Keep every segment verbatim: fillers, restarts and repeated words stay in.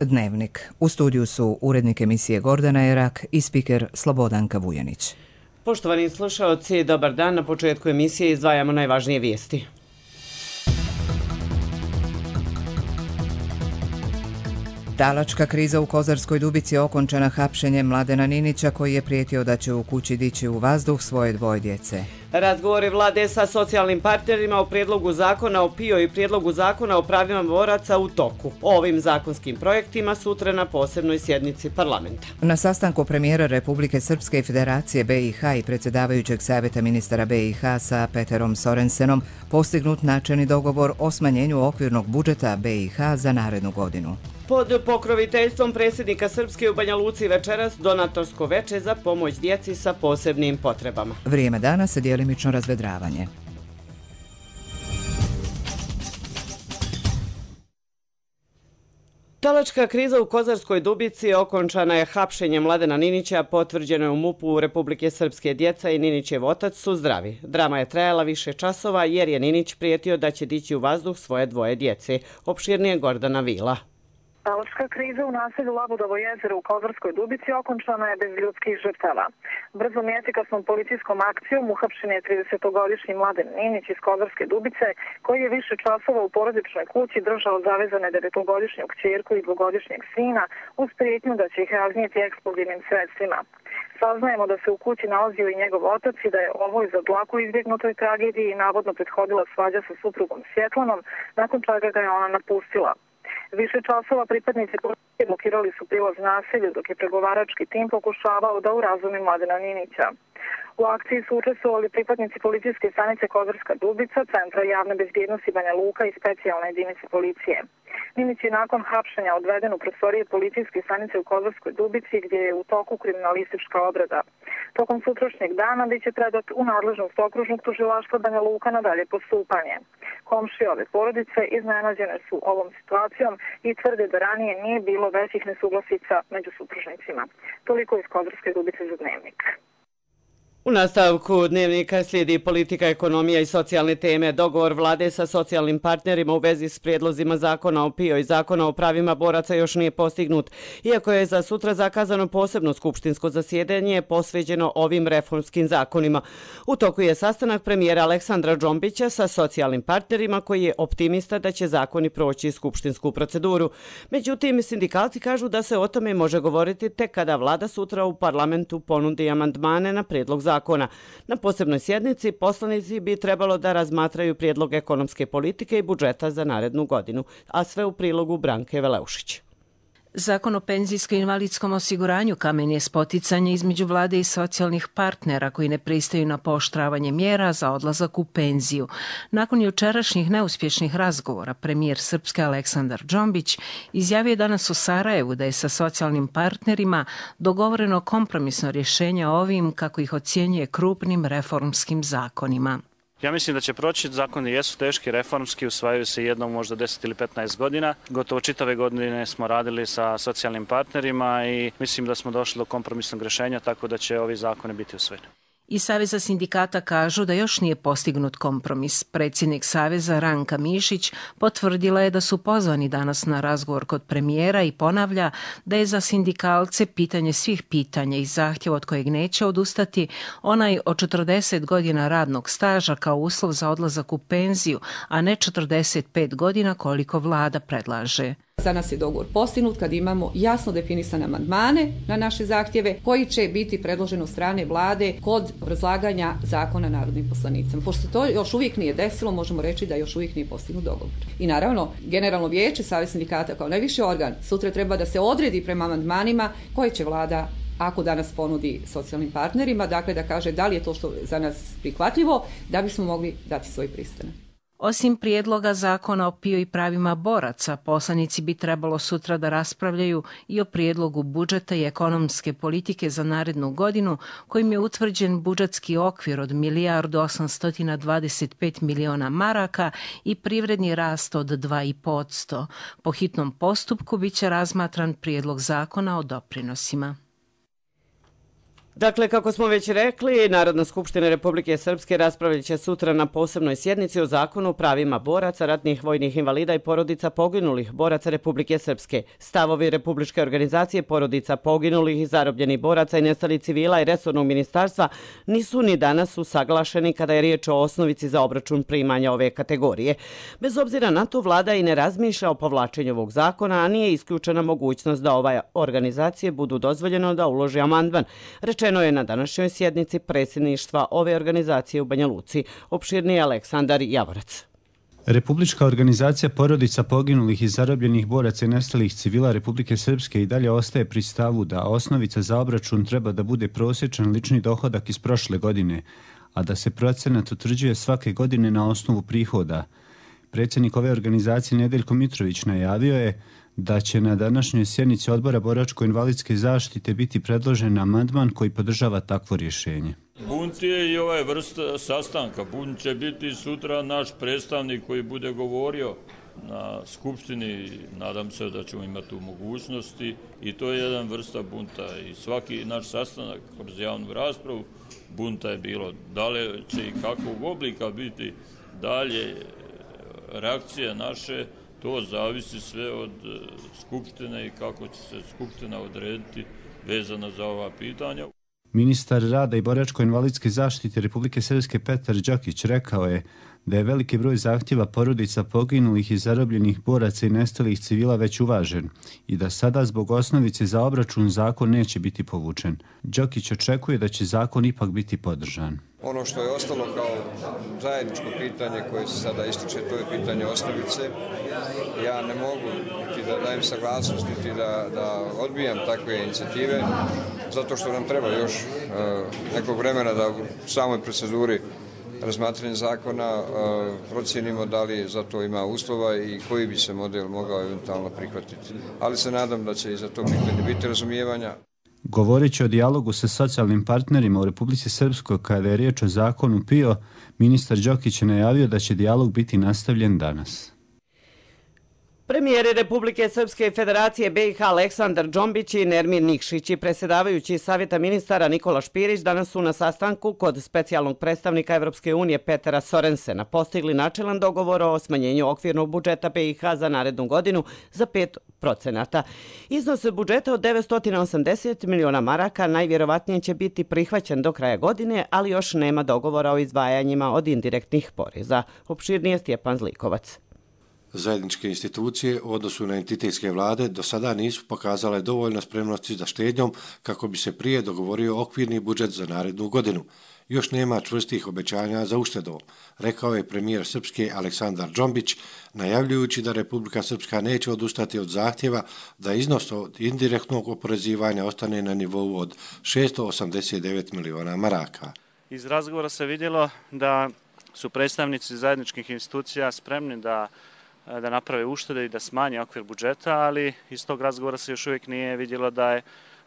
Dnevnik. U studiju su urednik emisije Gordana Erak i spiker Slobodanka Vujanić. Poštovani slušaoci, dobar dan. Na početku emisije izdvajamo najvažnije vijesti. Talačka kriza u Kozarskoj Dubici je okončana hapšenjem Mladena Ninića koji je prijetio da će u kući dići u vazduh svoje dvoje djece. Razgovori vlade sa socijalnim partnerima o prijedlogu zakona o PIO i prijedlogu zakona o pravima boraca u toku. O ovim zakonskim projektima sutra na posebnoj sjednici parlamenta. Na sastanku premijera Republike Srpske i Federacije B i H i predsjedavajućeg savjeta ministara B i H sa Peterom Sorensenom postignut načelni dogovor o smanjenju okvirnog budžeta B i H za narednu godinu. Pod pokroviteljstvom predsjednika Srpske u Banja Luci večeras donatorsko veče za pomoć djeci sa posebnim potrebama. Vrijeme dana se djelimično razvedravanje. Talačka kriza u Kozarskoj Dubici okončana je hapšenjem Mladena Ninića, potvrđeno je u MUP-u Republike Srpske. Djeca i Ninićev otac su zdravi. Drama je trajala više časova jer je Ninić prijetio da će dići u vazduh svoje dvoje djece. Opširnije Gordana Vila. Talačka kriza u naselju Labudovo jezero u Kozarskoj Dubici okončana je bez ljudskih žrtava. Brzom i efikasnom policijskom akcijom uhapšen je tridesetogodišnji Mladen Ninić iz Kozarske Dubice, koji je više časova u porodičnoj kući držao zavezane devetogodišnju kćerku i dvogodišnjeg sina uz prijetnju da će ih raznijeti eksplozivnim sredstvima. Saznajemo da se u kući nalazio i njegov otac i da je ovoj za dlaku izbjegnutoj tragediji navodno prethodila svađa sa suprugom Svjetlanom, nakon čega ga je ona napustila. Više časova pripadnici policije blokirali su prilaz naselju dok je pregovarački tim pokušavao da urazumi Mladena Ninića. U akciji su učestvovali pripadnici policijske stanice Kozarska Dubica, Centra javne bezbjednosti Banja Luka i specijalne jedinice policije. Ninić je nakon hapšenja odveden u prostorije policijske stanice u Kozarskoj Dubici gdje je u toku kriminalistička obrada. Tokom sutrašnjeg dana bit će predat u nadležnost okružnog tužilaštva Banja Luka na dalje postupanje. Komšije ove porodice iznenađene su ovom situacijom i tvrde da ranije nije bilo većih nesuglasica među supružnicima. Toliko iz Kozarske Dubice za Dnevnik. U nastavku Dnevnika slijedi politika, ekonomija i socijalne teme. Dogovor vlade sa socijalnim partnerima u vezi s prijedlozima zakona o PIO i zakona o pravima boraca još nije postignut. Iako je za sutra zakazano posebno skupštinsko zasjedanje posvećeno ovim reformskim zakonima. U toku je sastanak premijera Aleksandra Džombića sa socijalnim partnerima koji je optimista da će zakoni proći skupštinsku proceduru. Međutim, sindikalci kažu da se o tome može govoriti tek kada vlada sutra u parlamentu ponudi amandmane na prijedlog zakona. Zakona. Na posebnoj sjednici poslanici bi trebalo da razmatraju prijedlog ekonomske politike i budžeta za narednu godinu, a sve u prilogu Branke Veleušić. Zakon o penzijsko-invalidskom osiguranju kamen je spoticanje između vlade i socijalnih partnera koji ne pristaju na pooštravanje mjera za odlazak u penziju. Nakon jučerašnjih neuspješnih razgovora, premijer Srpske Aleksandar Džombić izjavio danas u Sarajevu da je sa socijalnim partnerima dogovoreno kompromisno rješenje o ovim, kako ih ocjenjuje, krupnim reformskim zakonima. Ja mislim da će proći, zakoni jesu teški, reformski, usvajaju se jednom možda deset ili petnaest godina. Gotovo čitave godine smo radili sa socijalnim partnerima i mislim da smo došli do kompromisnog rješenja, tako da će ovi zakoni biti usvojeni. Iz Saveza sindikata kažu da još nije postignut kompromis. Predsjednik Saveza Ranka Mišić potvrdila je da su pozvani danas na razgovor kod premijera i ponavlja da je za sindikalce pitanje svih pitanja i zahtjev od kojeg neće odustati onaj od četrdeset godina radnog staža kao uslov za odlazak u penziju, a ne četrdeset pet godina koliko vlada predlaže. Za nas je dogovor postignut kad imamo jasno definisane amandmane na naše zahtjeve koji će biti predloženi od strane vlade kod obrazlaganja zakona narodnim poslanicama. Pošto to još uvijek nije desilo, možemo reći da još uvijek nije postignut dogovor. I naravno, Generalno vijeće Savez sindikata kao najviši organ sutra treba da se odredi prema amandmanima koje će vlada, ako danas ponudi socijalnim partnerima, dakle da kaže da li je to što za nas prihvatljivo, da bismo mogli dati svoj pristanak. Osim prijedloga zakona o PIO i pravima boraca, poslanici bi trebalo sutra da raspravljaju i o prijedlogu budžeta i ekonomske politike za narednu godinu, kojim je utvrđen budžetski okvir od milijardu osamsto dvadeset pet miliona maraka i privredni rast od dva i po posto. Po hitnom postupku biće razmatran prijedlog zakona o doprinosima. Dakle, kako smo već rekli, Narodna skupština Republike Srpske raspravljat će sutra na posebnoj sjednici o zakonu o pravima boraca, ratnih vojnih invalida i porodica poginulih boraca Republike Srpske. Stavovi Republičke organizacije porodica poginulih i zarobljenih boraca i nestalih civila i resornog ministarstva nisu ni danas usaglašeni kada je riječ o osnovici za obračun primanja ove kategorije. Bez obzira na to, vlada i ne razmišlja o povlačenju ovog zakona, a nije isključena mogućnost da ove organizacije budu dozvoljeno da uloži amandman. Rečeno je na današnjoj sjednici predsjedništva ove organizacije u Banja Luci. Opširniji Aleksandar Javorac. Republička organizacija porodica poginulih i zarobljenih boraca i nestalih civila Republike Srpske i dalje ostaje pri stavu da osnovica za obračun treba da bude prosječan lični dohodak iz prošle godine, a da se procenat utvrđuje svake godine na osnovu prihoda. Predsjednik ove organizacije Nedeljko Mitrović najavio je da će na današnjoj sjednici Odbora boračko-invalidske zaštite biti predložen amandman koji podržava takvo rješenje. Bunt je i ovaj vrsta sastanka. Bunt će biti sutra naš predstavnik koji bude govorio na skupštini. Nadam se da ćemo imati tu mogućnosti i to je jedan vrsta bunta. I svaki naš sastanak kroz javnu raspravu bunta je bilo. Da li će i kakvog oblika biti dalje reakcije naše, to zavisi sve od skupštine i kako će se skupština odrediti vezano za ova pitanja. Ministar rada i boračko-invalidske zaštite Republike Srpske Petar Đokić rekao je da je veliki broj zahtjeva porodica poginulih i zarobljenih boraca i nestalih civila već uvažen i da sada zbog osnovice za obračun zakon neće biti povučen. Đokić očekuje da će zakon ipak biti podržan. Ono što je ostalo kao zajedničko pitanje koje se sada ističe, to je pitanje osnovice. Ja ne mogu niti da dajem saglasnost, niti da, da odbijam takve inicijative, zato što nam treba još uh, nekog vremena da u samoj proceduri razmatranja zakona uh, procijenimo da li za to ima uslova i koji bi se model mogao eventualno prihvatiti. Ali se nadam da će i za to pitanje biti razumijevanja. Govoreći o dijalogu sa socijalnim partnerima u Republici Srpskoj kada je riječ o zakonu P I O, ministar Đokić je najavio da će dijalog biti nastavljen danas. Premijeri Republike Srpske i Federacije B i H Aleksandar Džombić i Nermin Nikšić i predsjedavajući Savjeta ministara Nikola Špirić danas su na sastanku kod specijalnog predstavnika Evropske unije Petera Sorensena postigli načelan dogovor o smanjenju okvirnog budžeta B i H za narednu godinu za pet procenata. Iznos budžeta od devetsto osamdeset miliona maraka najvjerovatnije će biti prihvaćen do kraja godine, ali još nema dogovora o izdvajanjima od indirektnih poreza. Opširnije Stjepan Zlikovac. Zajedničke institucije u odnosu na entitetske vlade do sada nisu pokazale dovoljno spremnosti za štednjom kako bi se prije dogovorio okvirni budžet za narednu godinu. Još nema čvrstih obećanja za uštedom, rekao je premijer Srpske Aleksandar Džombić, najavljujući da Republika Srpska neće odustati od zahtjeva da iznos od indirektnog oporezivanja ostane na nivou od šesto osamdeset devet miliona maraka. Iz razgovora se vidjelo da su predstavnici zajedničkih institucija spremni da da naprave uštede i da smanje okvir budžeta, ali iz tog razgovora se još uvijek nije vidjelo da je,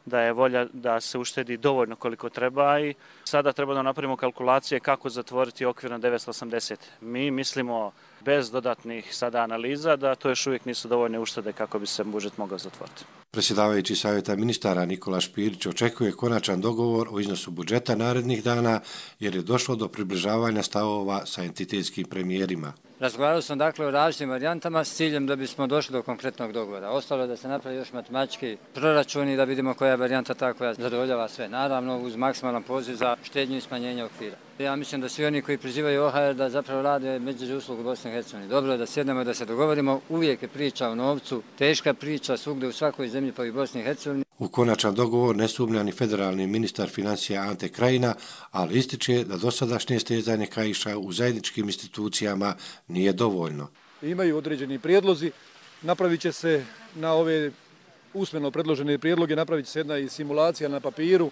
da je volja da se uštedi dovoljno koliko treba i sada treba da napravimo kalkulacije kako zatvoriti okvir na devetsto osamdeset. Mi mislimo bez dodatnih sada analiza da to još uvijek nisu dovoljne uštede kako bi se budžet mogao zatvoriti. Predsjedavajući Savjeta ministara Nikola Špirić očekuje konačan dogovor o iznosu budžeta narednih dana jer je došlo do približavanja stavova sa entitetskim premijerima. Razgovarali smo dakle o različitim varijantama s ciljem da bismo došli do konkretnog dogovora. Ostalo je da se napravi još matematički proračuni da vidimo koja je varijanta ta koja zadovoljava sve. Naravno uz maksimalan poziv za štednju i smanjenje okvira. Ja mislim da svi oni koji prizivaju O H R da zapravo rade medvjeđu uslugu Bosne i Hercegovine. Dobro je da sjednemo i da se dogovorimo. Uvijek je priča o novcu, teška priča svugdje u svakoj zemlji pa i Bosni i Hercegovini. U konačan dogovor ne sumnja ni federalni ministar financija Ante Krajina, ali ističe da dosadašnje stezanje kaiša u zajedničkim institucijama nije dovoljno. Imaju određeni prijedlozi, napravit će se na ove usmeno predložene prijedloge, napravit će se jedna i simulacija na papiru,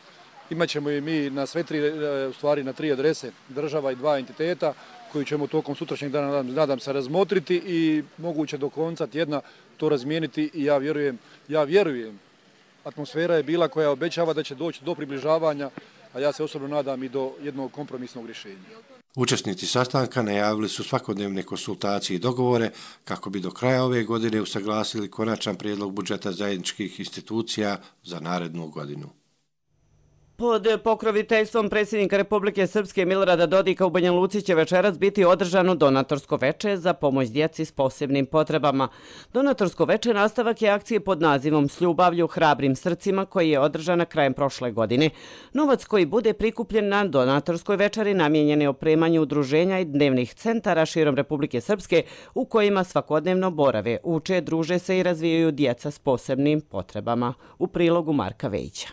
imaćemo i mi na sve tri, u stvari na tri adrese, država i dva entiteta, koju ćemo tokom sutrašnjeg dana, nadam se, razmotriti i moguće do konca tjedna to razmijeniti i ja vjerujem, ja vjerujem, atmosfera je bila koja obećava da će doći do približavanja, a ja se osobno nadam i do jednog kompromisnog rješenja. Učesnici sastanka najavili su svakodnevne konsultacije i dogovore kako bi do kraja ove godine usaglasili konačan prijedlog budžeta zajedničkih institucija za narednu godinu. Pod pokroviteljstvom predsjednika Republike Srpske Milorada Dodika u Banja Luci će večeras biti održano donatorsko veče za pomoć djeci s posebnim potrebama. Donatorsko veče nastavak je akcije pod nazivom S ljubavlju hrabrim srcima koji je održana krajem prošle godine. Novac koji bude prikupljen na donatorskoj večeri namijenjen je opremanju udruženja i dnevnih centara širom Republike Srpske u kojima svakodnevno borave, uče, druže se i razvijaju djeca s posebnim potrebama. U prilogu Marka Vejića.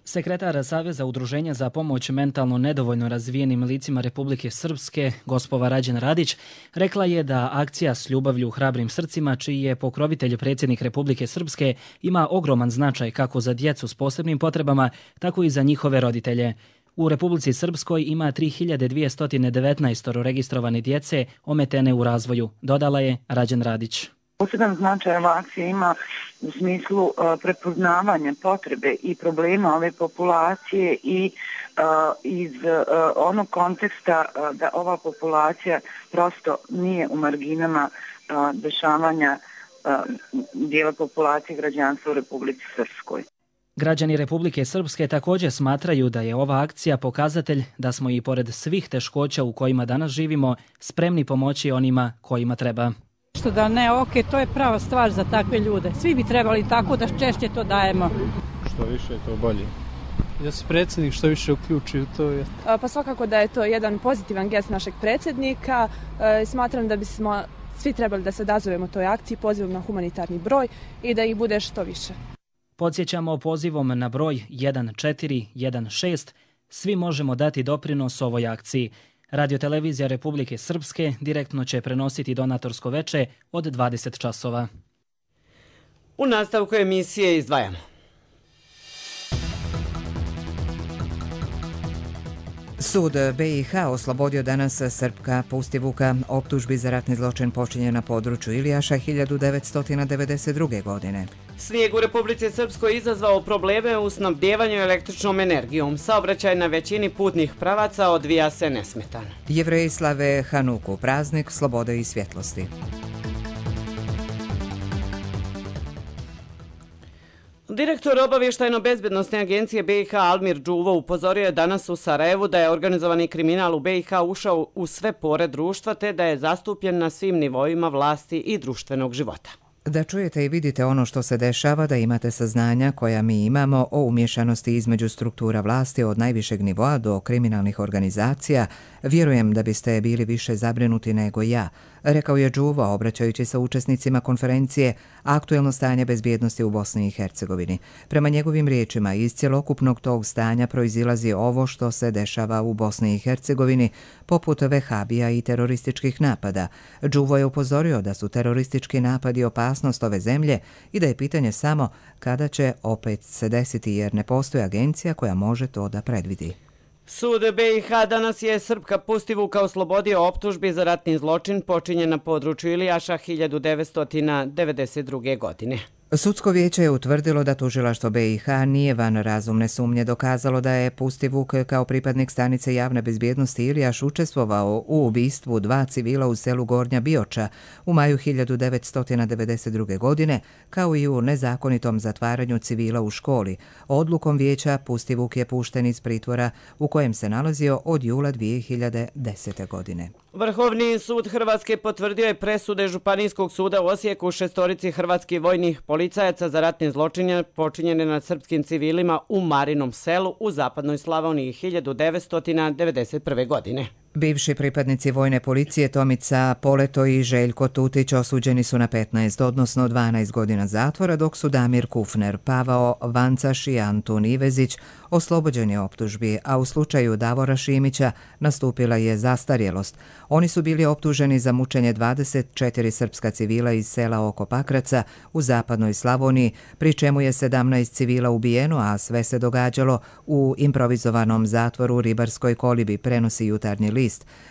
Sekretar Saveza udruženja za pomoć mentalno nedovoljno razvijenim licima Republike Srpske, gospova Rađen Radić, rekla je da akcija S ljubavlju hrabrim srcima, čiji je pokrovitelj predsjednik Republike Srpske, ima ogroman značaj kako za djecu s posebnim potrebama, tako i za njihove roditelje. U Republici Srpskoj ima tri hiljade dvjesto devetnaest registrovane djece ometene u razvoju, dodala je Rađen Radić. Poseban značaj ova akcija ima u smislu uh, prepoznavanja potrebe i problema ove populacije i uh, iz uh, onog konteksta uh, da ova populacija prosto nije u marginama uh, dešavanja uh, dijela populacije građanstva u Republici Srpskoj. Građani Republike Srpske također smatraju da je ova akcija pokazatelj da smo i pored svih teškoća u kojima danas živimo spremni pomoći onima kojima treba. Što da ne, ok, to je prava stvar za takve ljude. Svi bi trebali tako da češće to dajemo. Što više, to bolje. Ja se predsjednik što više uključi u to. Je. Pa svakako da je to jedan pozitivan gest našeg predsjednika. E, smatram da bismo svi trebali da se odazovemo toj akciji pozivom na humanitarni broj i da ih bude što više. Podsjećamo pozivom na broj jedan četiri jedan šest. Svi možemo dati doprinos ovoj akciji. Radiotelevizija Republike Srpske direktno će prenositi donatorsko veče od dvadeset časova. U nastavku emisije izdvajamo. Sud B i H oslobodio danas Srpka Pustivuka optužbi za ratni zločin počinjen na području Ilijaša hiljadu devetsto devedeset druge. godine. Snijeg u Republici Srpskoj izazvao probleme u snabdjevanju električnom energijom. Saobraćaj na većini putnih pravaca odvija se nesmetano. Jevreji slave Hanuku, praznik slobode i svjetlosti. Direktor obavještajno-bezbednosne agencije B i H Almir Đuvo upozorio je danas u Sarajevu da je organizovani kriminal u B i H ušao u sve pore društva te da je zastupljen na svim nivoima vlasti i društvenog života. Da čujete i vidite ono što se dešava, da imate saznanja koja mi imamo o umješanosti između struktura vlasti od najvišeg nivoa do kriminalnih organizacija, vjerujem da biste bili više zabrinuti nego ja, rekao je Đuvo obraćajući se učesnicima konferencije Aktuelno stanje bezbjednosti u Bosni i Hercegovini. Prema njegovim riječima, iz cjelokupnog tog stanja proizilazi ovo što se dešava u Bosni i Hercegovini, poput vehabija i terorističkih napada. Đuvo je upozorio da su teroristički napadi opasnost ove zemlje i da je pitanje samo kada će opet se desiti, jer ne postoji agencija koja može to da predvidi. Sud B i H danas je Srpka Pustivuka oslobodio optužbi za ratni zločin počinjen na području Ilijaša hiljadu devetsto devedeset druge. godine. Sudsko vijeće je utvrdilo da tužilaštvo B i H nije van razumne sumnje dokazalo da je Pustivuk kao pripadnik stanice javne bezbjednosti Ilijaš učestvovao u ubistvu dva civila u selu Gornja Bioča u maju hiljadu devetsto devedeset druge. godine, kao i u nezakonitom zatvaranju civila u školi. Odlukom vijeća Pustivuk je pušten iz pritvora u kojem se nalazio od jula dvije hiljade desete. godine. Vrhovni sud Hrvatske potvrdio je presude Županijskog suda u Osijeku šestorici hrvatskih vojnih policajaca za ratne zločine počinjene nad srpskim civilima u Marinom selu u zapadnoj Slavoniji hiljadu devetsto devedeset prve. godine. Bivši pripadnici vojne policije Tomica Poleto i Željko Tutić osuđeni su na petnaest, odnosno dvanaest godina zatvora, dok su Damir Kufner, Pavao Vancaš i Antun Ivezić oslobođeni optužbi, a u slučaju Davora Šimića nastupila je zastarjelost. Oni su bili optuženi za mučenje dvadeset četiri srpska civila iz sela oko Pakraca u zapadnoj Slavoniji, pri čemu je sedamnaest civila ubijeno, a sve se događalo u improvizovanom zatvoru u Ribarskoj kolibi, prenosi Jutarnji list.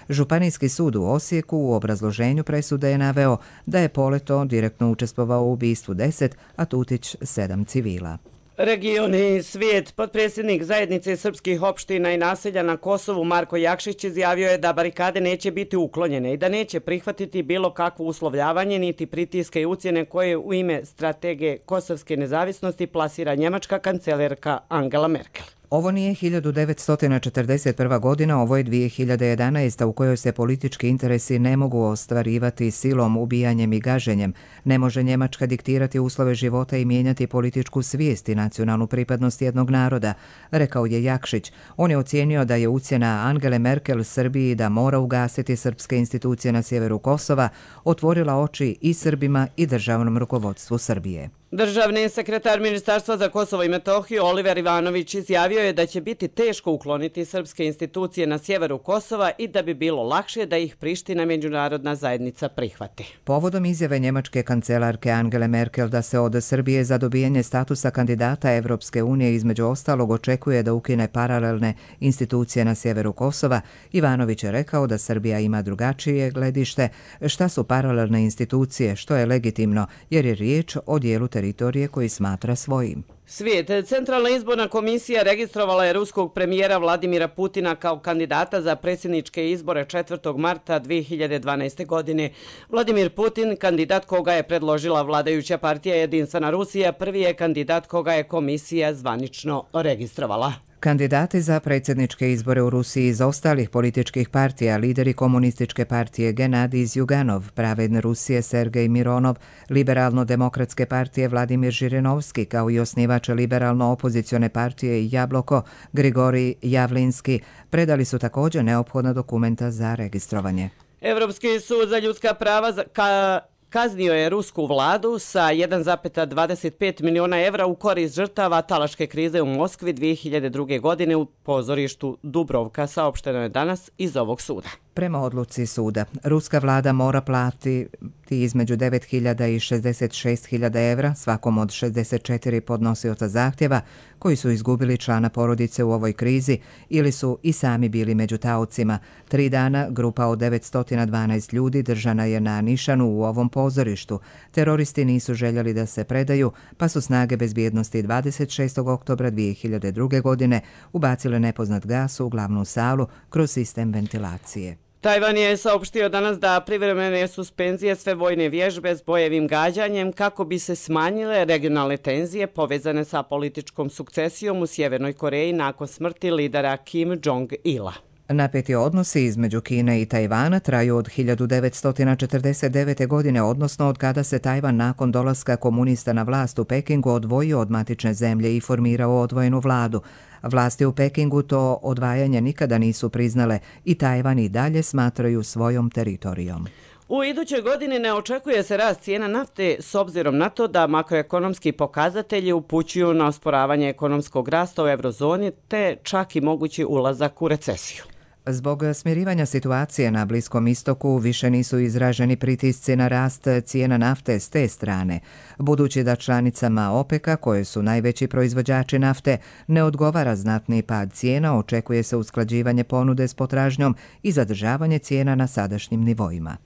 Županijski sud u Osijeku u obrazloženju presude je naveo da je Poleto direktno učestvovao u ubistvu deset, a Tutić sedam civila. Region i svijet. Potpredsjednik zajednice srpskih opština i naselja na Kosovu Marko Jakšić izjavio je da barikade neće biti uklonjene i da neće prihvatiti bilo kakvo uslovljavanje niti pritiske i ucjene koje u ime strategije kosovske nezavisnosti plasira njemačka kancelarka Angela Merkel. Ovo nije hiljadu devetsto četrdeset prva godina, ovo je dvije hiljade jedanaesta u kojoj se politički interesi ne mogu ostvarivati silom, ubijanjem i gaženjem. Ne može Njemačka diktirati uslove života i mijenjati političku svijest i nacionalnu pripadnost jednog naroda, rekao je Jakšić. On je ocijenio da je ucjena Angele Merkel Srbiji da mora ugasiti srpske institucije na sjeveru Kosova otvorila oči i Srbima i državnom rukovodstvu Srbije. Državni sekretar Ministarstva za Kosovo i Metohiju Oliver Ivanović izjavio je da će biti teško ukloniti srpske institucije na sjeveru Kosova i da bi bilo lakše da ih Priština međunarodna zajednica prihvati. Povodom izjave njemačke kancelarke Angele Merkel da se od Srbije za dobijanje statusa kandidata Evropske unije između ostalog očekuje da ukine paralelne institucije na sjeveru Kosova, Ivanović je rekao da Srbija ima drugačije gledište. Šta su paralelne institucije, što je legitimno, jer je riječ o dijelu teritorije koji smatra svojim. Svijet. Centralna izborna komisija registrovala je ruskog premijera Vladimira Putina kao kandidata za predsjedničke izbore četvrtog marta dvije hiljade dvanaeste. godine. Vladimir Putin, kandidat koga je predložila vladajuća partija Jedinstvena Rusija, prvi je kandidat koga je komisija zvanično registrovala. Kandidati za predsjedničke izbore u Rusiji iz ostalih političkih partija, lideri komunističke partije Genadij Zjuganov, Pravedne Rusije Sergej Mironov, Liberalno-demokratske partije Vladimir Žirinovski, kao i osnivač liberalno-opozicione partije Jabloko Grigorij Javlinski, predali su također neophodna dokumenta za registrovanje. Evropski sud za ljudska prava za ka kaznio je rusku vladu sa jedan zarez dvadeset pet miliona evra u korist žrtava talačke krize u Moskvi dvije hiljade druge. godine u pozorištu Dubrovka, saopšteno je danas iz ovog suda. Prema odluci suda, ruska vlada mora platiti između devet hiljada i šezdeset šest hiljada evra svakom od šezdeset četiri podnosioca zahtjeva koji su izgubili člana porodice u ovoj krizi ili su i sami bili među taocima. Tri dana grupa od devetsto dvanaest ljudi držana je na nišanu u ovom pozorištu. Teroristi nisu željeli da se predaju, pa su snage bezbjednosti dvadeset šestog oktobra dvije hiljade druge. godine ubacile nepoznat gas u glavnu salu kroz sistem ventilacije. Tajvan je saopštio danas da privremene suspenzije sve vojne vježbe s bojevim gađanjem kako bi se smanjile regionalne tenzije povezane sa političkom sukcesijom u Sjevernoj Koreji nakon smrti lidera Kim Jong-ila. Napeti odnosi između Kine i Tajvana traju od hiljadu devetsto četrdeset devete. godine, odnosno od kada se Tajvan nakon dolaska komunista na vlast u Pekingu odvojio od matične zemlje i formirao odvojenu vladu. Vlasti u Pekingu to odvajanje nikada nisu priznale i Tajvan i dalje smatraju svojom teritorijom. U idućoj godini ne očekuje se rast cijena nafte s obzirom na to da makroekonomski pokazatelji upućuju na osporavanje ekonomskog rasta u eurozoni te čak i mogući ulazak u recesiju. Zbog smirivanja situacije na Bliskom istoku više nisu izraženi pritisci na rast cijena nafte s te strane. Budući da članicama OPEC-a, koje su najveći proizvođači nafte, ne odgovara znatni pad cijena, očekuje se usklađivanje ponude s potražnjom i zadržavanje cijena na sadašnjim nivoima.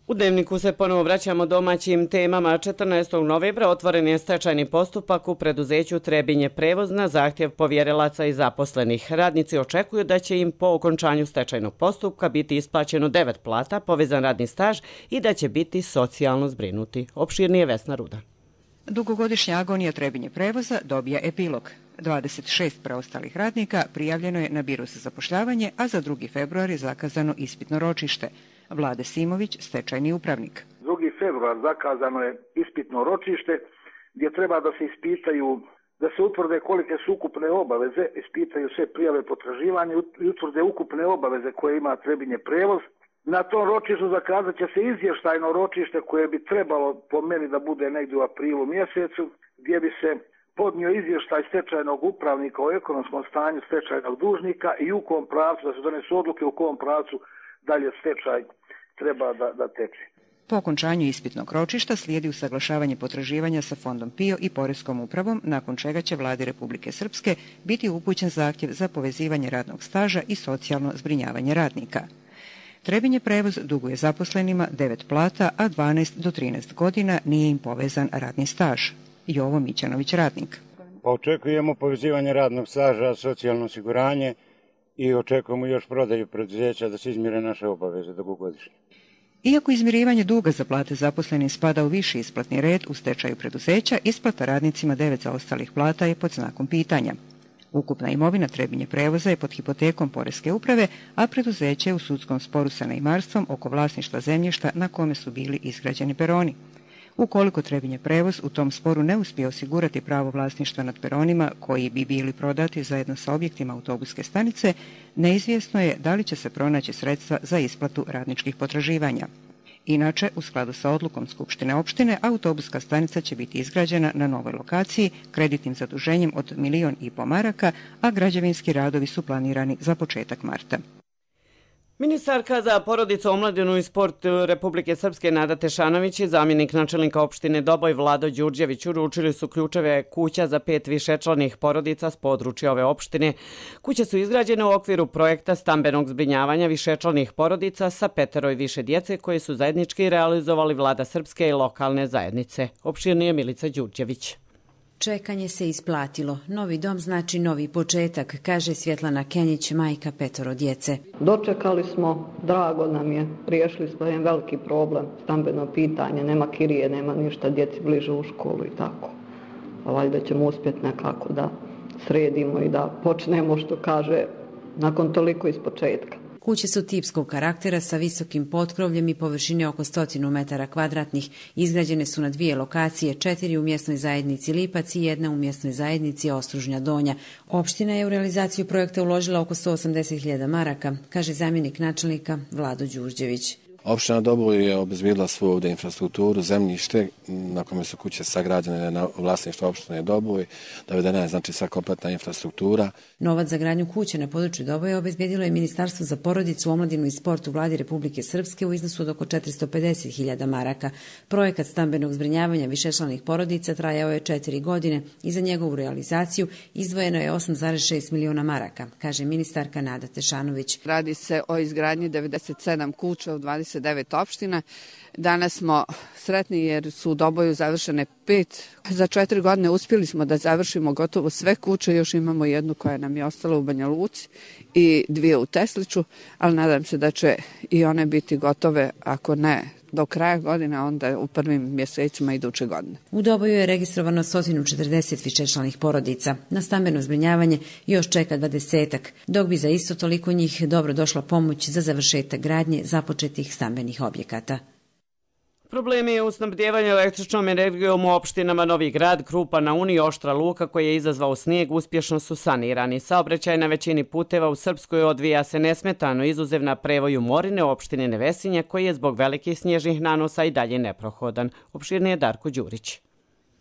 U Dnevniku se ponovo vraćamo domaćim temama. četrnaestog novembra otvoren je stečajni postupak u preduzeću Trebinje prevoz na zahtjev povjerilaca i zaposlenih. Radnici očekuju da će im po okončanju stečajnog postupka biti isplaćeno devet plata, povezan radni staž i da će biti socijalno zbrinuti. Opširnije Vesna Ruda. Dugogodišnja agonija Trebinje prevoza dobija epilog. dvadeset šest preostalih radnika prijavljeno je na biro za zapošljavanje, a za drugi februar je zakazano ispitno ročište. Vlade Simović, stečajni upravnik. drugi februar zakazano je ispitno ročište gdje treba da se ispitaju, da se utvrde kolike su ukupne obaveze, ispitaju sve prijave potraživanja i utvrde ukupne obaveze koje ima Trebinje prevoz. Na tom ročištu zakazat će se izvještajno ročište koje bi trebalo po meni da bude negdje u aprilu mjesecu, gdje bi se podnio izvještaj stečajnog upravnika o ekonomskom stanju stečajnog dužnika i u kom pravcu, da se donesu odluke u kom pravcu dalje stečaj treba da, da teče. Po okončanju ispitnog ročišta slijedi usaglašavanje potraživanja sa Fondom PIO i Poreskom upravom, nakon čega će Vladi Republike Srpske biti upućen zahtjev za povezivanje radnog staža i socijalno zbrinjavanje radnika. Trebinje prevoz duguje zaposlenima devet plata, a dvanaest do trinaest godina nije im povezan radni staž. Jovo Mićanović, radnik. Pa očekujemo povezivanje radnog staža, socijalno osiguranje i očekujemo još prodaju preduzeća da se izmire naše obaveze dugogodišnje. Iako izmirivanje duga za plate zaposlenim spada u viši isplatni red u stečaju preduzeća, isplata radnicima devet zaostalih plata je pod znakom pitanja. Ukupna imovina Trebinje prevoza je pod hipotekom Poreske uprave, a preduzeće je u sudskom sporu sa neimarstvom oko vlasništva zemljišta na kome su bili izgrađeni peroni. Ukoliko Trebinje prevoz u tom sporu ne uspije osigurati pravo vlasništva nad peronima koji bi bili prodati zajedno sa objektima autobuske stanice, neizvjesno je da li će se pronaći sredstva za isplatu radničkih potraživanja. Inače, u skladu sa odlukom Skupštine opštine, autobuska stanica će biti izgrađena na novoj lokaciji kreditnim zaduženjem od milion i po maraka, a građevinski radovi su planirani za početak marta. Ministarka za porodicu, omladinu i sport Republike Srpske Nada Tešanović i zamjenik načelnika opštine Doboj Vlado Đurđević uručili su ključeve kuća za pet višečlanih porodica s područja ove opštine. Kuće su izgrađene u okviru projekta stambenog zbrinjavanja višečlanih porodica sa petero i više djece koje su zajednički realizovali Vlada Srpske i lokalne zajednice. Opširnije Milica Đurđević. Čekanje se isplatilo. Novi dom znači novi početak, kaže Svjetlana Kenjić, majka petoro djece. Dočekali smo, drago nam je, riješili smo jedan veliki problem, stambeno pitanje, nema kirije, nema ništa, djeci bliže u školu i tako. A valjda ćemo uspjeti nekako da sredimo i da počnemo, što kaže, nakon toliko iz početka. Kuće su tipskog karaktera sa visokim potkrovljem i površine oko stotinu metara kvadratnih. Izgrađene su na dvije lokacije, četiri u mjesnoj zajednici Lipac i jedna u mjesnoj zajednici Ostružnja Donja. Opština je u realizaciju projekta uložila oko sto osamdeset hiljada maraka, kaže zamjenik načelnika Vlado Đurđević. Opština Doboj je obezbijedila svoju ovdje infrastrukturu, zemljište na kome su kuće sagrađene na vlasništvo opštine Doboj, dovedena je znači sva kompletna infrastruktura. Novac za gradnju kuće na području Doboja obezbijedilo je Ministarstvo za porodicu, omladinu i sport u Vladi Republike Srpske u iznosu od oko četiristo pedeset hiljada maraka. Projekat stambenog zbrinjavanja višečlanih porodica trajao je četiri godine i za njegovu realizaciju izdvojeno je osam zarez šest miliona maraka, kaže ministarka Nada Tešanović. Radi se o izgradnji devedeset sedam kuća u dvadeset devet opština. Danas smo sretni jer su u Doboju završene pet. Za četiri godine uspjeli smo da završimo gotovo sve kuće, još imamo jednu koja nam je ostala u Banja Luci i dvije u Tesliću, ali nadam se da će i one biti gotove, ako ne do kraja godine, onda u prvim mjesecima iduće godine. U Doboju je registrovano sto četrdeset višečlanih porodica. Na stambeno zbrinjavanje još čeka dvadesetak, dok bi za isto toliko njih dobro došla pomoć za završetak gradnje započetih stambenih objekata. Problemi u snabdjevanju električnom energijom u opštinama Novi Grad, Krupa na Uni i Oštra Luka koji je izazvao snijeg uspješno su sanirani. Saobraćaj na većini puteva u Srpskoj odvija se nesmetano, izuzev na prevoju Morine u opštini Nevesinje koji je zbog velikih snježnih nanosa i dalje neprohodan. Opširni je Darko Đurić.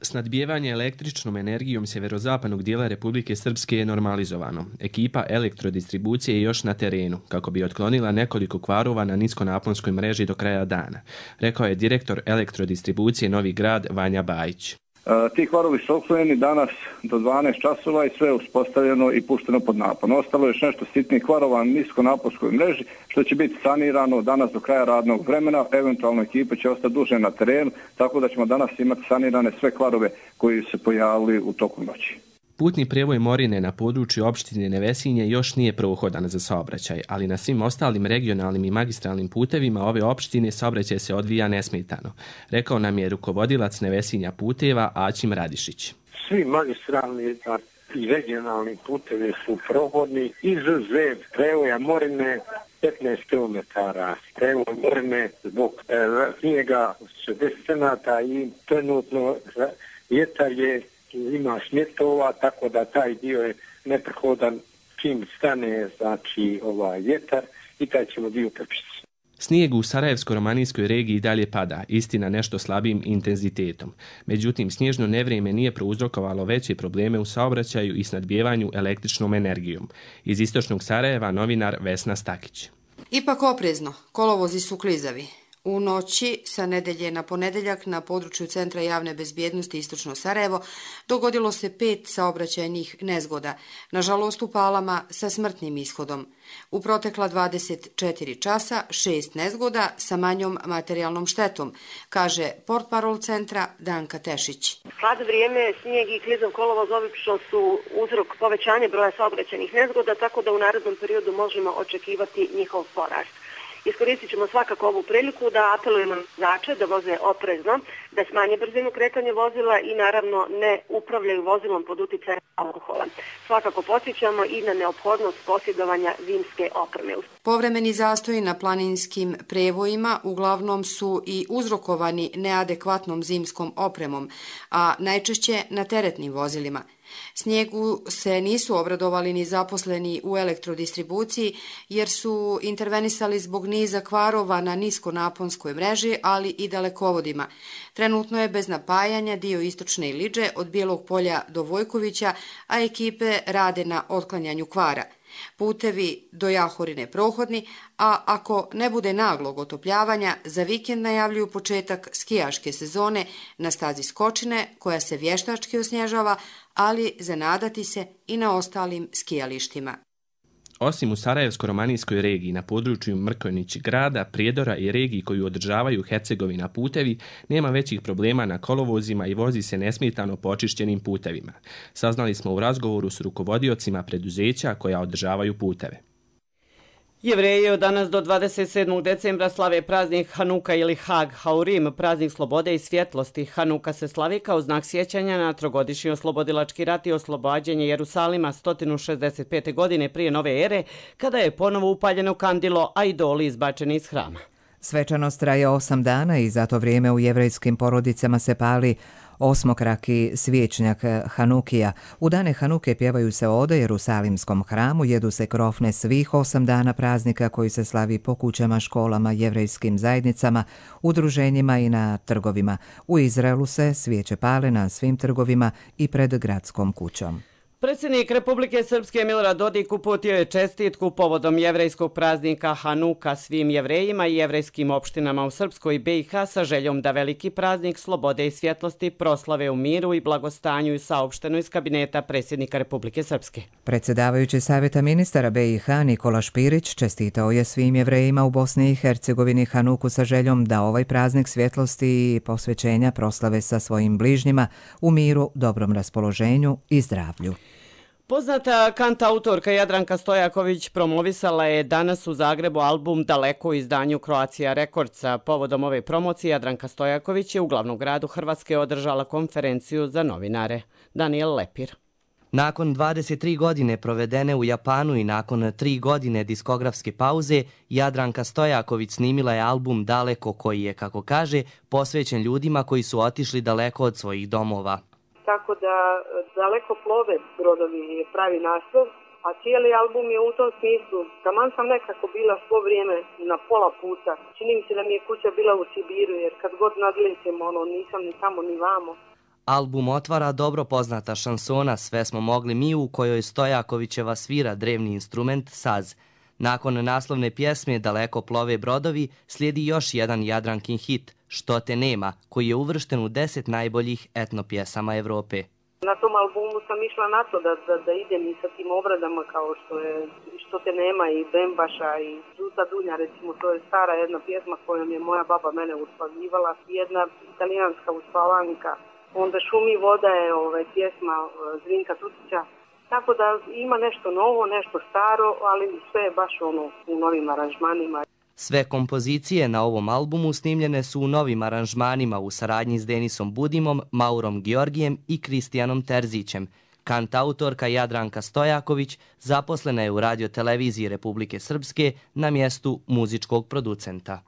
Snadbijevanje električnom energijom sjeverozapadnog dijela Republike Srpske je normalizovano. Ekipa elektrodistribucije je još na terenu, kako bi otklonila nekoliko kvarova na niskonaponskoj mreži do kraja dana, rekao je direktor elektrodistribucije Novi Grad Vanja Bajić. Ti kvarovi su otklonjeni danas do dvanaest časova i sve je uspostavljeno i pušteno pod napon. Ostalo je još nešto sitnih kvarova na niskonaponskoj mreži, što će biti sanirano danas do kraja radnog vremena. Eventualno ekipa će ostati duže na terenu, tako da ćemo danas imati sanirane sve kvarove koji se pojavili u toku noći. Putni prijevoj Morine na području opštine Nevesinje još nije prohodan za saobraćaj, ali na svim ostalim regionalnim i magistralnim putevima ove opštine saobraćaj se odvija nesmetano, rekao nam je rukovodilac Nevesinja puteva Aćim Radišić. Svi magistralni i regionalni putevi su prohodni, izuzev prevoja Morine petnaest kilometara. Prevoj Morine zbog e, snijega šezdeset centimetara i trenutno vjetar je ima smjetova, tako da taj dio je neprohodan čim stane, znači ovaj vjetar i taj ćemo dio prečiti. Snijeg u Sarajevsko-romanijskoj regiji dalje pada, istina nešto slabijim intenzitetom. Međutim, snježno nevrijeme nije prouzrokovalo veće probleme u saobraćaju i snadbijevanju električnom energijom. Iz istočnog Sarajeva novinar Vesna Stakić. Ipak oprezno, kolovozi su klizavi. U noći sa nedelje na ponedeljak na području Centra javne bezbjednosti Istočno Sarajevo dogodilo se pet saobraćajnih nezgoda, nažalost u Palama sa smrtnim ishodom. U protekla dvadeset četiri časa šest nezgoda sa manjom materijalnom štetom, kaže portparol centra Danka Tešić. Hladno vrijeme, snijeg i klizav kolovoz obično su uzrok povećanja broja saobraćajnih nezgoda, tako da u narednom periodu možemo očekivati njihov porast. Iskoristit ćemo svakako ovu priliku da apelujemo na vozače da voze oprezno, da smanje brzinu kretanja vozila i naravno ne upravljaju vozilom pod uticajem alkohola. Svakako podsjećamo i na neophodnost posjedovanja zimske opreme. Povremeni zastoji na planinskim prevojima uglavnom su i uzrokovani neadekvatnom zimskom opremom, a najčešće na teretnim vozilima. Snijegu se nisu obradovali ni zaposleni u elektrodistribuciji jer su intervenisali zbog niza kvarova na niskonaponskoj mreži, ali i dalekovodima. Trenutno je bez napajanja dio istočne Iliđe od Bijelog polja do Vojkovića, a ekipe rade na otklanjanju kvara. Putevi do Jahorine prohodni, a ako ne bude naglog otopljavanja, za vikend najavljuju početak skijaške sezone na stazi Skočine, koja se vještački osnježava, ali zanadati se i na ostalim skijalištima. Osim u Sarajevsko-romanijskoj regiji na području Mrkonjić grada, Prijedora i regiji koju održavaju Hercegovina putevi, nema većih problema na kolovozima i vozi se nesmetano po očišćenim putevima. Saznali smo u razgovoru s rukovodiocima preduzeća koja održavaju puteve. Jevreji od danas do dvadeset sedmog decembra slave praznik Hanuka ili Hag Haurim, praznik slobode i svjetlosti. Hanuka se slavi kao znak sjećanja na trogodišnji oslobodilački rat i oslobađanje Jerusalima sto šezdeset pete. godine prije nove ere, kada je ponovo upaljeno kandilo, a idoli izbačeni iz hrama. Svečanost traje osam dana i za to vrijeme u jevrejskim porodicama se pali osmokraki svječnjak Hanukija. U dane Hanuke pjevaju se ode Jerusalimskom hramu, jedu se krofne svih osam dana praznika koji se slavi po kućama, školama, jevrejskim zajednicama, udruženjima i na trgovima. U Izraelu se svijeće pale na svim trgovima i pred gradskom kućom. Predsjednik Republike Srpske Milorad Dodik uputio je čestitku povodom jevrejskog praznika Hanuka svim jevrejima i jevrejskim opštinama u Srpskoj B i H sa željom da veliki praznik slobode i svjetlosti proslave u miru i blagostanju i saopšteno iz kabineta predsjednika Republike Srpske. Predsjedavajući Savjeta ministara B i H Nikola Špirić čestitao je svim jevrejima u Bosni i Hercegovini Hanuku sa željom da ovaj praznik svjetlosti i posvećenja proslave sa svojim bližnjima u miru, dobrom raspoloženju i zdravlju. Poznata kantautorka Jadranka Stojaković promovisala je danas u Zagrebu album Daleko u izdanju Croatia Recordsa. Povodom ove promocije Jadranka Stojaković je u glavnom gradu Hrvatske održala konferenciju za novinare. Daniel Lepir. Nakon dvadeset tri godine provedene u Japanu i nakon tri godine diskografske pauze, Jadranka Stojaković snimila je album Daleko koji je, kako kaže, posvećen ljudima koji su otišli daleko od svojih domova. Tako da Daleko plove brodovi je pravi naslov, a cijeli album je u tom smislu. Taman sam nekako bila svo vrijeme na pola puta. Čini mi se da mi je kuća bila u Sibiru, jer kad god nadlećem, ono, nisam ni tamo ni vamo. Album otvara dobro poznata šansona Sve smo mogli mi, u kojoj Stojakovićeva svira drevni instrument saz. Nakon naslovne pjesme Daleko plove brodovi slijedi još jedan Jadrankin hit, Što te nema, koji je uvršten u deset najboljih etno pjesama Evrope. Na tom albumu sam išla na to da, da, da idem i sa tim obradama kao što je Što te nema i Bembaša i Žuta Dunja, recimo, to je stara jedna pjesma kojom je moja baba mene uspavivala, jedna italijanska uspavanka. Onda Šumi voda je ovaj, pjesma Zrinka Tutića. Tako da ima nešto novo, nešto staro, ali sve je baš ono u novim aranžmanima. Sve kompozicije na ovom albumu snimljene su u novim aranžmanima u saradnji s Denisom Budimom, Maurom Georgijem i Kristijanom Terzićem. Kantautorka Jadranka Stojaković zaposlena je u radioteleviziji Republike Srpske na mjestu muzičkog producenta.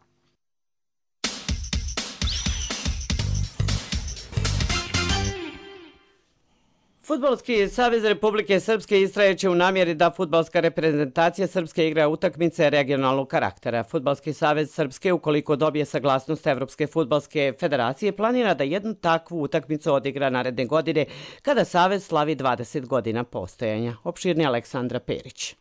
Fudbalski savez Republike Srpske istrajeće u namjeri da fudbalska reprezentacija Srpske igra utakmice regionalnog karaktera. Fudbalski savez Srpske, ukoliko dobije saglasnost Evropske fudbalske federacije, planira da jednu takvu utakmicu odigra naredne godine kada savez slavi dvadeset godina postojanja. Opširni Aleksandra Perić.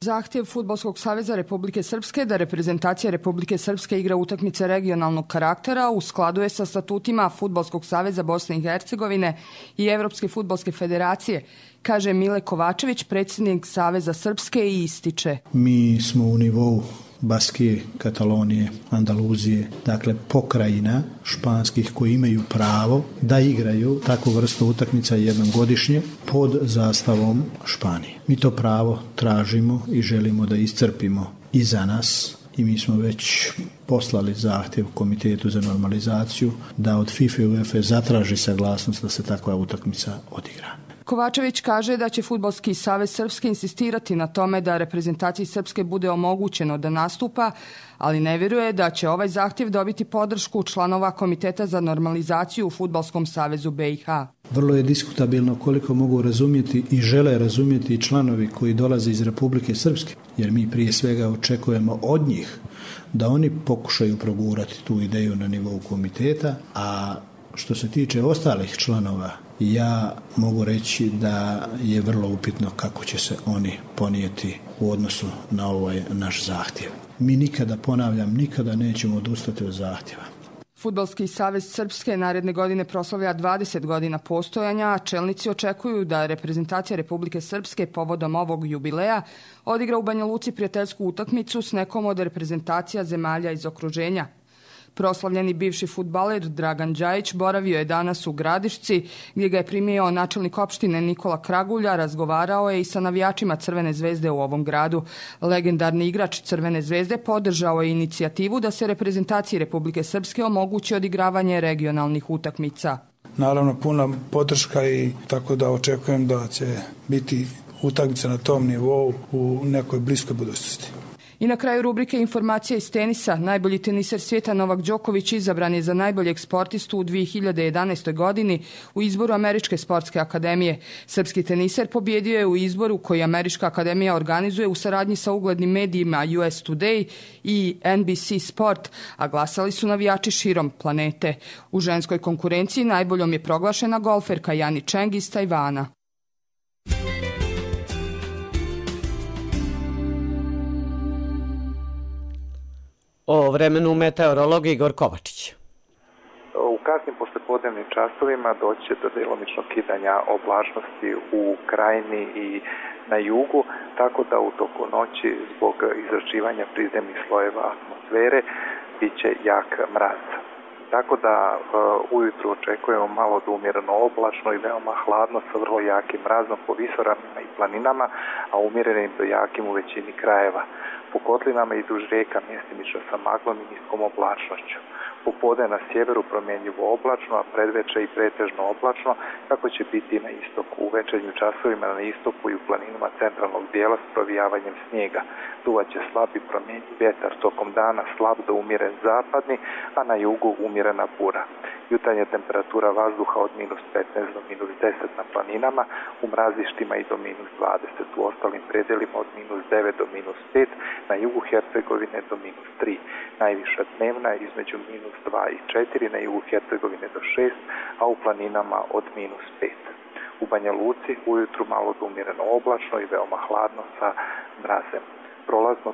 Zahtjev Fudbalskog saveza Republike Srpske da reprezentacija Republike Srpske igra utakmice regionalnog karaktera u skladu je sa statutima Fudbalskog saveza Bosne i Hercegovine i Evropske fudbalske federacije, kaže Mile Kovačević, predsjednik Saveza Srpske, i ističe. Mi smo u nivou Baskije, Katalonije, Andaluzije, dakle pokrajina španskih koji imaju pravo da igraju takvu vrstu utakmica jednom godišnje pod zastavom Španije. Mi to pravo tražimo i želimo da iscrpimo i za nas i mi smo već poslali zahtjev Komitetu za normalizaciju da od FIFA i UEFA zatraži saglasnost da se takva utakmica odigra. Kovačević kaže da će Fudbalski savez Srpske insistirati na tome da reprezentaciji Srpske bude omogućeno da nastupa, ali ne vjeruje da će ovaj zahtjev dobiti podršku članova Komiteta za normalizaciju u Fudbalskom savezu B i H. Vrlo je diskutabilno koliko mogu razumjeti i žele razumjeti članovi koji dolaze iz Republike Srpske, jer mi prije svega očekujemo od njih da oni pokušaju progurati tu ideju na nivou komiteta, a što se tiče ostalih članova, ja mogu reći da je vrlo upitno kako će se oni ponijeti u odnosu na ovaj naš zahtjev. Mi nikada, ponavljam, nikada nećemo odustati od zahtjeva. Fudbalski savez Srpske naredne godine proslavlja dvadeset godina postojanja, a čelnici očekuju da reprezentacija Republike Srpske povodom ovog jubileja odigra u Banja Luci prijateljsku utakmicu s nekom od reprezentacija zemalja iz okruženja. Proslavljeni bivši fudbaler Dragan Đajić boravio je danas u Gradišci, gdje ga je primio načelnik opštine Nikola Kragulja, razgovarao je i sa navijačima Crvene zvezde u ovom gradu. Legendarni igrač Crvene zvezde podržao je inicijativu da se reprezentaciji Republike Srpske omogući odigravanje regionalnih utakmica. Naravno, puna podrška i tako da očekujem da će biti utakmica na tom nivou u nekoj bliskoj budućnosti. I na kraju rubrike informacija iz tenisa. Najbolji teniser svijeta Novak Đoković izabran je za najboljeg sportistu u dvije hiljade jedanaestoj godini u izboru Američke sportske akademije. Srpski teniser pobjedio je u izboru koji Američka akademija organizuje u saradnji sa uglednim medijima U S Today i N B C Sport, a glasali su navijači širom planete. U ženskoj konkurenciji najboljom je proglašena golferka Jani Čeng iz Tajvana. O vremenu meteorolog Igor Kovačić. U kasnim poslijepodnevnim časovima doći će do djelomičnog kidanja oblačnosti u krajini i na jugu, tako da u toku noći zbog izračivanja prizemnih slojeva atmosfere bit će jak mraz. Tako da uh, ujutru očekujemo malo do umjereno oblačno i veoma hladno sa vrlo jakim mrazom po visoravnima i planinama, a umjerenim do jakim u većini krajeva. Po kotlinama i duž rijeka mjestimično sa maglom i niskom oblačnošću. Popodne na sjeveru promjenjivo oblačno, a predveče i pretežno oblačno, kako će biti i na istoku. U večernjim časovima na istoku i u planinama centralnog dijela s provijavanjem snijega. Duvat će slab i promjenjiv vjetar, tokom dana slab do umjeren zapadni, a na jugu umjerena bura. Jutarnja temperatura vazduha od minus petnaest do minus deset na planinama, u mrazištima i do minus dvadeset, u ostalim predjelima od minus devet do minus pet, na jugu Hercegovine do minus tri. Najviša dnevna između minus dva i četiri, na jugu Hercegovine do šest, a u planinama od minus pet. U Banja Luci ujutru malo do umjereno oblačno i veoma hladno sa mrazem. Prolazno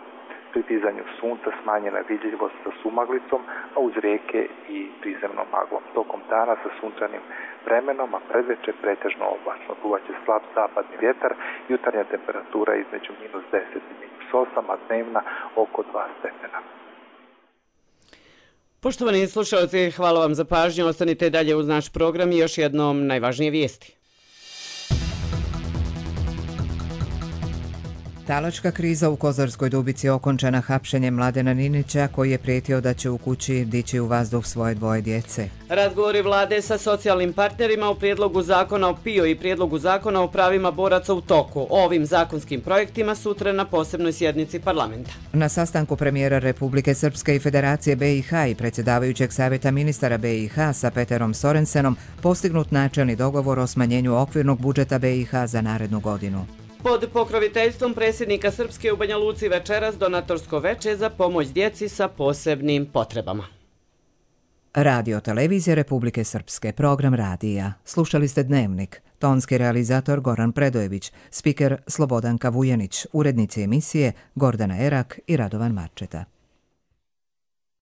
pri dizanju sunca smanjena vidljivost sa sumaglicom, a uz rijeke i prizemnom maglom. Tokom dana sa sunčanim vremenom, a predveče pretežno oblačno. Duvaće slab zapadni vjetar, jutarnja temperatura između minus deset i minus osam, a dnevna oko dva stepena. Poštovani slušalci, hvala vam za pažnju. Ostanite dalje uz naš program i još jednom najvažnije vijesti. Talačka kriza u Kozarskoj Dubici okončana hapšenjem Mladena Ninića, koji je prijetio da će u kući dići u vazduh svoje dvoje djece. Razgovori vlade sa socijalnim partnerima u prijedlogu zakona o P I O i prijedlogu zakona o pravima boraca u toku. O ovim zakonskim projektima sutra na posebnoj sjednici parlamenta. Na sastanku premijera Republike Srpske i Federacije B i H i predsjedavajućeg savjeta ministara B i H sa Peterom Sorensenom postignut načelni dogovor o smanjenju okvirnog budžeta B i H za narednu godinu. Pod pokroviteljstvom predsjednika Srpske u Banja Luci večeras donatorsko veče za pomoć djeci sa posebnim potrebama. Radio Televizija Republike Srpske, program radija. Slušali ste Dnevnik. Tonski realizator Goran Predojević, spiker Slobodanka Vujanić, urednici emisije Gordana Erak i Radovan Marčeta.